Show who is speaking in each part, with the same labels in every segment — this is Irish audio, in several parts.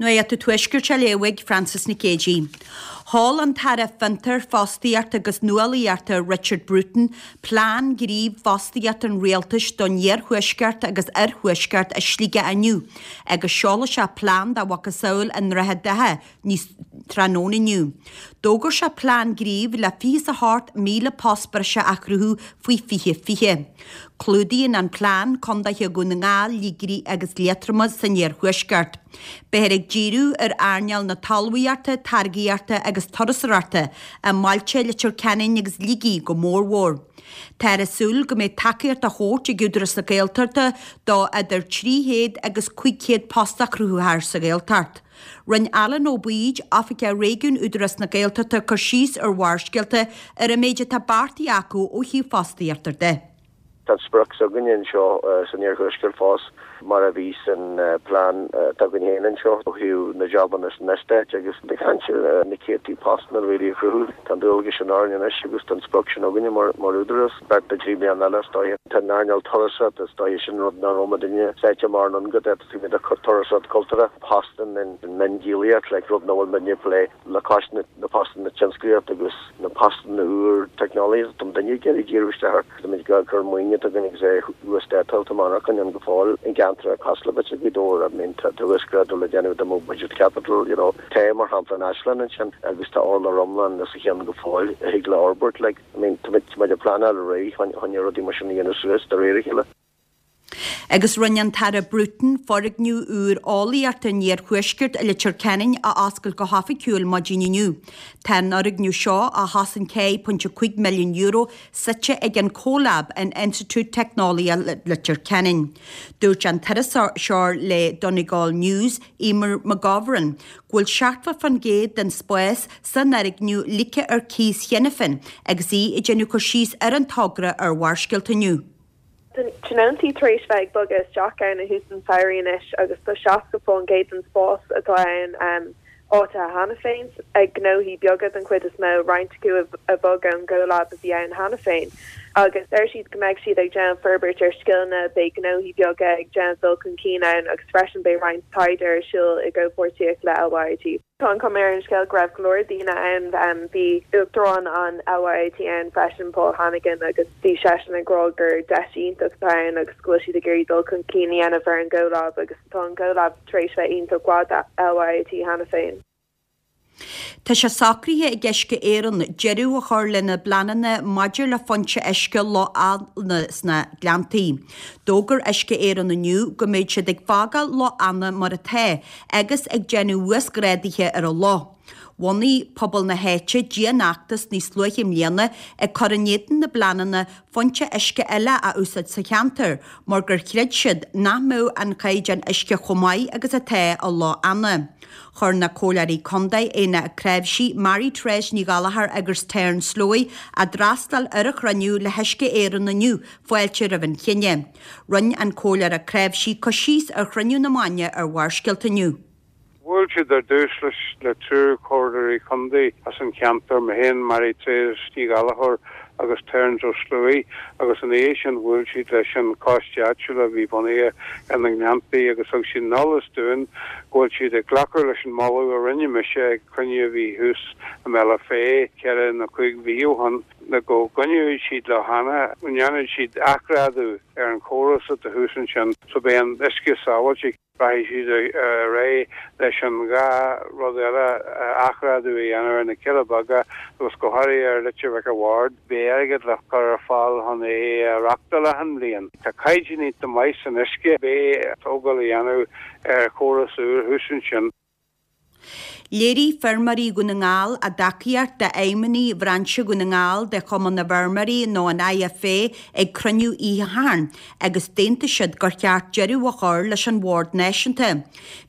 Speaker 1: Nuacht an Tuaiscirt á léamh ag Frances Nic Géadaigh. Sheol an tAire Fiontar, Fostaíochta agus Nuálaíochta Richard Bruton plean gnímh fostaíochta an Rialtais don Iarthuaisceart agus Oirthuaisceart i Sligeach inniu agus seolfaidh sé plean dá mhacasamhail i nDroichead Átha níos tráthnóna inniu. D'fhógair sé plean gnímh le 28,000 post breise a chruthú faoi 2020. Clúdaíonn an plean condaetha Dhún na nGall, Shligigh agus Liatroma san iarthuaisceart. Beifear ag díriú ar earnáil na talmhaíochta, táirgíochta agus turasóireachta i mbailte Leitir Ceanainn agus Shligigh go mórmhór. Táthar ag súil go mbeidh tacaíocht á thabhairt ag Údarás na Gaeltachta do idir 300 agus 500 post a chruthófar sa Ghaeltacht. Rinne Alan Ó Baoid, Oifigeach Réigiúin Údarás na Gaeltachta cur síos ar Bharrscéalta ar an méid atá beartaithe acu ó thaobh fostaíochta de.
Speaker 2: Tá an sprioc s'againne anseo san Iarthuaisceart fós, mar a bhí san plean atá againn féin anseo ó thaobh na jabanna san eastát agus ag caint ar na céadtaí postanna really a chruthú. Tá an dualgas sin orainn anois agus tá an sprioc sin againne mar údarás. Beirt nó 3 bliana eile is dóiche. Tá an earnáil turasóireachta is dóiche sin rud nach raibh muidinne sáite mar an go dtá turasóireacht cultúrtha, postanna in miondíolaíocht, like rud nach bhfuil muidne ag plé le cois na postanna tionsclaíochta agus na postanna úr teicneolaíochta tá muidinne ag iarraidh díriú isteach air. Tá muid ag cur maoiniú atá againn agus é uasdátáil tá monarchain ann go fóill i gceantracha cosúil le b'fhéidir Gaoth Dobhair, I mean tá uasghrádú le déanamh dá mbeadh budget capital, you know. Tá mar shampla an Áislann ansin agus tá urlár iomlán os a chionn go fóill a thig le fhorbairt like, I mean tá muid ag pleanáil ar aghaidh chun rudaí mar sin a dhéanamh suas de réir a chéile.
Speaker 1: Agus rinne an tAire Bruton foirgneamh úr eolaíochta an Iarthuaiscirt i Leitir Ceanainn a oscailt go hoifigiúil maidin inniu. Tá an fhoirgneamh seo, a chosain €4.5 milliún, suite ag an CoLab in Institiúid Teicneolaíochta Leitir Ceanainn. Dúirt an t-iriseoir le Donegal News, Eimear McGovern, go bhfuil 70% den spás san fhoirgneamh ligthe ar cíos cheana féin agus í ag déanamh cur síos ar an togra ar Bharrscéalta inniu.
Speaker 3: Tá tionóntaí tar éis bheith ag bogadh isteach ann ó thús an tsamhraidh anois agus tá 60% den spás atá ann áitithe cheana féin ag gnóthaí beaga den chuid is mó, roinnt acu a bhog ón gCoLab a bhí ann cheana féin. Agus deir siad go mbeidh siad ag déanamh forbairt ar scileanna, beidh gnóthaí beaga ag déanamh dul chun cinn ann agus freisin beidh roinnt taighde ar siúl i gcomhpháirtíocht le LYIT. Tá an chuma ar an scéal go raibh go leor daoine ann. Bhí Uachtarán an LYIT ann freisin, Paul Hannigan, agus bhí seisean ag rá gur deis iontach atá ann agus go bhfuil siad ag iarraidh dul chun cinn a dhéanamh ar an gCoLab agus tá an CoLab tar éis bheith iontach mhaith do LYIT cheana féin.
Speaker 1: Tá sé socraithe ag Uisce Éireann deireadh a chur lena bpleananna maidir le foinse uisce Loch Eanna sna Gleanntaí. D'fhógair Uisce Éireann inniu go mbeidh siad ag fágáil Loch Eanna mar atá agus ag déanamh uasghrádaithe ar an loch. Bhunaigh pobal na háite dianfheachtas níos luaithe i mbliana ag cur in éadan na bpleananna foinse uisce eile a úsáid sa cheantar mar gur chreid siad nach mbeadh an caighdeán uisce chomh maith agus atá i Loch Eanna. Chuir na Comhairleoirí Contae Éanna Ó Cnáimhsí, Mary Therese Ní Ghallchóir agus Terence Slowey a d'fhreastail ar an chruinniú le hUisce Éireann inniu fáilte roimh an chinneadh. Rinne an Comhairleoir Ó Cnáimhsí cur síos ar chruinniú na maidine ar Bharrscéalta inniu.
Speaker 4: Bhuail siad ar dtús leis le triúr comhairleoirí contae as an cheantar, mé féin, Mary Therese Ní Ghallchóir agus Terence Ó Sluaighe, agus ina dhiaidh sin bhuail siad leis an choiste áitiúil a bhí bunaithe ar na Gleanntaí agus thug siad an eolas dúinn go bhfuil siad ag glacadh leis an moladh a rinne mise ag cruinniú a bhí thuas i mBealach Féich ceithre nó cúig mhí ó shin. le go gcoinneoidh siad Loch Eanna, go ndéanfaidh siad athghrádú ar an chóras atá thuas ansin so beidh an uisce sábháilte. Rachaidh siad ar aghaidh leis an dhá rud eile, athghrádú a dhéanamh ar na Cealla Beaga agus go háirithe ar Leitir Mhic a' Bhaird. Beidh airgead le cur ar fáil chun é a reachtáil achan bhliain. Tá caighdeán iontach maith san uisce. Beidh tógáil a dhéanamh ar chóras úr thuas ansin.
Speaker 1: Léirigh feirmeoirí Dhún na nGall a dtacaíocht d'fheidhmeannaigh bhrainse Dhún na nGall de Chumann na bhFeirmeoirí nó an IFA ag cruinniú oíche Shathairn agus d'aontaigh siad gur cheart deireadh a chur leis an Bhord Náisiúnta.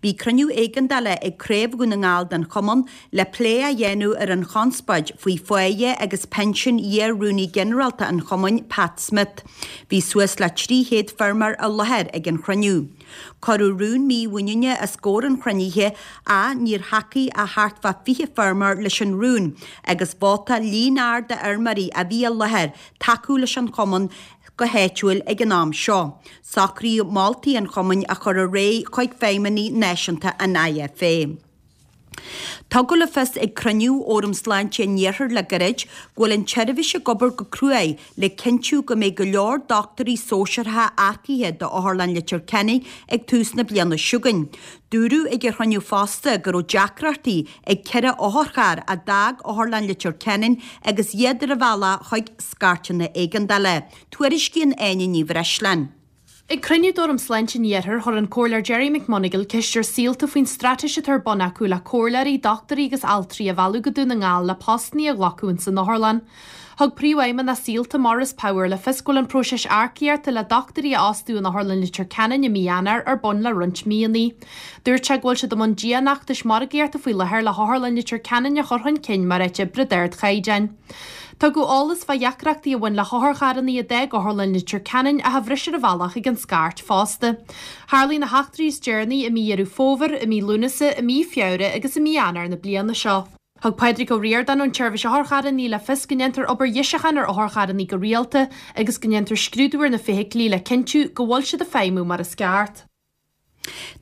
Speaker 1: Bhí cruinniú éigeandála ag Craobh Dhún na nGall den chumann le plé a dhéanamh ar an chonspóid faoi pháighe agus pinsean iar-Rúnaí Ginearálta an chumainn, Pat Smith. Bhí suas le 300 feirmeoir i láthair ag an chruinniú. Cuireadh rún mímhuiníne os comhair an chruinnithe ach níor thacaigh ach thart fá 20 feirmeoir leis an rún agus vótáil líon ard d'fheirmeoirí a bhí i láthair tacú leis an chumann go háitiúil ag an am seo. Socraíodh moltaí an chumainn a chur ar aghaidh chuig feidhmeannaigh náisiúnta an IFA. Tugadh le fios ag cruinniú Fhóram Sláinte an Iarthair le gairid go bhfuil an tseirbhís ag obair go cruaidh le cinntiú go mbeidh go leor dochtúirí sóisearacha earcaithe d'Otharlann Leitir Ceanainn ag tús na bliana seo chugainn. Dúradh ag an chruinniú fosta go raibh deacrachtaí ag 4 otharcharr a d'fhág Otharlann Leitir Ceanainn agus iad ar a bhealach chuig scairteanna éigeandála. Tuairiscíonn Áine Ní Bhreisleáin.
Speaker 5: Ag cruinniú d'Fhóram Sláinte an Iarthair, chuir an Comhairleoir Gerry McMonagall ceist ar Saolta faoin straitéis atá ar bun acu le comhairleoirí, dochtúirí agus altraí a mhealladh go Dún na nGall le postanna a ghlacadh ins an otharlann. Thug Príomhfheidhmeannach Saolta, Maurice Power, le fios go bhfuil an próiseas earcaíochta le dochtúirí a fhostú in Otharlann Leitir Ceanainn i mí Eanáir ar bun le roinnt míonna. Dúirt sé go bhfuil siad i mbun dianfheachtais margaíochta faoi láthair le hOtharlann Leitir Ceanainn a chur chun cinn mar áit oibre d'ardchaighdeáin. Tugadh eolas fá dheacrachtaí a bhain le hotharcharranna a d'fhág Otharlann Leitir Ceanainn ach a bhris ar a bhealach chuig an scairt fosta. Tharlaigh na heachtraí is deireanaí i mí Dheireadh Fómhair, i mí Lúnasa, i mí Feabhra agus i mí Eanáir na bliana seo. Thug Pádraig Ó Ríordáin ón tSeirbhís Otharcharranna le fios go ndéantar obair dheisiúcháin ar otharcharranna go rialta agus go ndéantar scrúdú ar na feithiclí le cinntiú go bhfuil siad ag feidhmiú mar is ceart.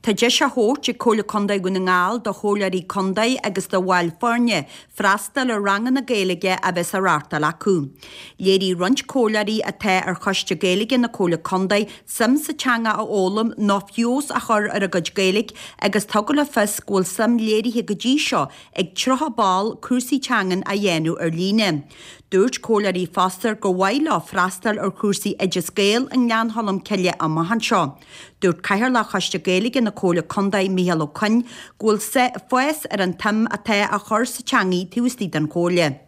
Speaker 1: Tá deis á thabhairt ag Comhairle Contae Dhún na nGall do Chomhairleoirí Contae agus do bhaill foirne freastal ar ranganna Gaeilge a bheas á reáchtáil acu. Léirigh roinnt comhairleoirí atá ar Choiste Gaeilge na Comhairle Contae suim sa teanga a fhoghlaim nó feabhas a chur ar a gcuid Gaeilge agus tugadh le fios go bhfuil suim léirithe go dtí seo ag 30 ball cúrsaí teangan a dhéanamh ar líne. Dúirt comhairleoirí fosta gur mhaith leo freastal ar chúrsaí Oideas Gael i nGleann Cholm Cille amach anseo. Dúirt Cathaoirleach Choiste Gaeilge na Comhairle Contae, Micheál Ó Coinn, go bhfuil fás ar an tsuim atá á chur sa teangaidh taobh istigh den Chomhairle.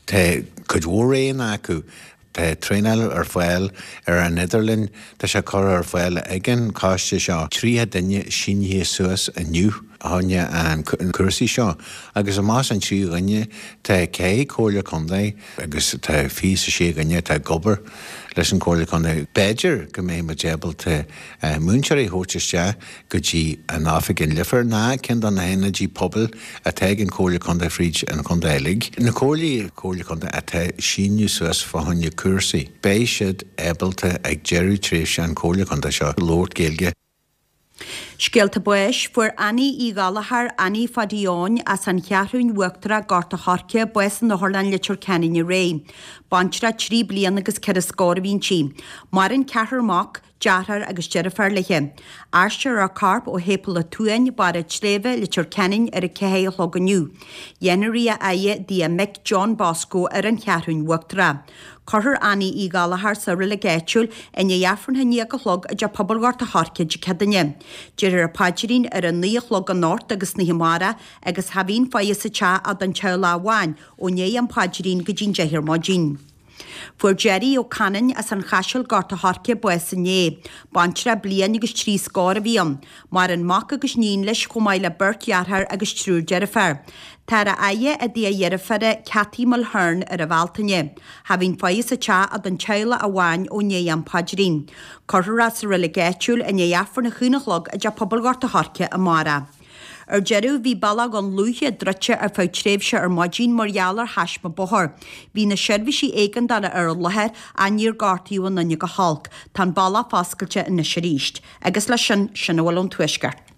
Speaker 6: Tá cuid mhór roghanna acu. Tá traenáil ar fáil ar an idirlíon, tá sé curtha ar fáil ag an choiste seo. 30 duine sínithe suas inniu fá choinne an cúrsaí seo agus amach as an 30 dhuine tá 4 comhairle contae agus tá 26 dhuine atá ag obair leis an Chomhairle Contae. B'fhéidir go mbeidh muid ábalta múinteoirí a thabhairt isteach go dtí an oifig in Leifear ná ceann de na hionaidí pobail atá ag an Chomhairle Contae fríd an chontae uilig. Na comhairlí Comhairle Contae atá síniú suas fá choinne cúrsaí, beidh siad ábalta ag deireadh tréimhse an Chomhairle Contae seo labhairt Gaeilge.
Speaker 1: Scéalta báis, Fuair Annie Uí Ghallchóir, Annie Phaidí Eoin, as an Cheathrúin Uachtarach, Gort a' Choirce, bás in Otharlann Leitir Ceanainn aréir. Baintreach 3 bliana agus 4 scór a bhí inti. Maireann ceathrar mac, deartháir agus deirfiúr léi. Aistreofar a corp ó Shéipéal an tSuain, Barr an tSléibhe, Leitir Ceanainn ar a 4 a chlog inniu. Dhéanfar í a fhaire i dtigh a mic John Bosco ar an Cheathrúin Uachtarach. Cuirfear Annie Uí Ghallchóir sa reilig áitiúil i ndiaidh Aifreann a haon déag a chlog i dTeach Pobail Ghort a' Choirce Dé Céadaoine. Déarfar an paidrín ar a 9 a chlog anocht agus san oíche amárach agus cha bhíonn faire sa teach ach don teaghlach amháin ó ndiaidh an phaidrín go dtí'n 10 ar maidin. Fuair Gerry Ó Canainn as an Chaiseal Gort a' Choirce bás inné. Baintreach bliain agus 3 scór a bhí ann. Maireann mac agus níon leis chomh maith le beirt dheartháir agus triúr deirféar. Táthar á fhaire i dtigh a dheirféire Cathy Mulhern ar an Bhealtaine. Cha bhíonn faire sa teach ach don teaghlach amháin ó ndiaidh an phaidrín. Cuirfear é sa reilig áitiúil i ndiaidh Aifreann a haon a chlog i dTeach Pobail Ghort a' Choirce amárach. Ar deireadh, bhí Bealach Dhún Lúiche druidte ar feadh tréimhse ar maidin mar gheall ar thaisme bóthair. Bhí na seirbhísí éigeandála ar an láthair ach níor gortaíodh aon duine go holc. Tá an bealach foscailte anois arís. Agus leis sin, sin a bhfuil ón Tuaisceart.